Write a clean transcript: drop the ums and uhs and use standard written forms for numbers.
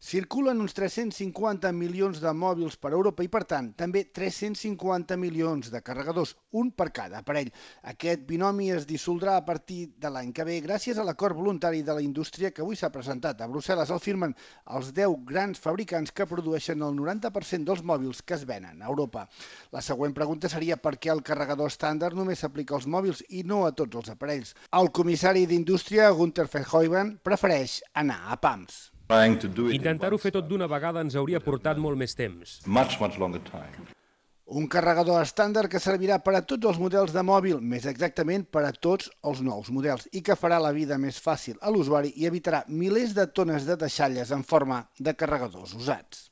Circulen uns 350 milions de mòbils per Europa i, per tant, també 350 milions de carregadors, un per cada aparell. Aquest binomi es dissoldrà a partir de l'any que ve gràcies a l'acord voluntari de la indústria que avui s'ha presentat a Brussel·les. El firmen els 10 grans fabricants que produeixen el 90% dels mòbils que es venen a Europa. La següent pregunta seria per què el carregador estàndard només s'aplica als mòbils i no a tots els aparells. El comissari d'Indústria, Günther Verheugen, prefereix anar a pams. Intentar-ho fer tot d'una vegada ens hauria portat molt més temps. Un carregador estàndard que servirà per a tots els models de mòbil, més exactament per a tots els nous models, i que farà la vida més fàcil a l'usuari i evitarà milers de tones de deixalles en forma de carregadors usats.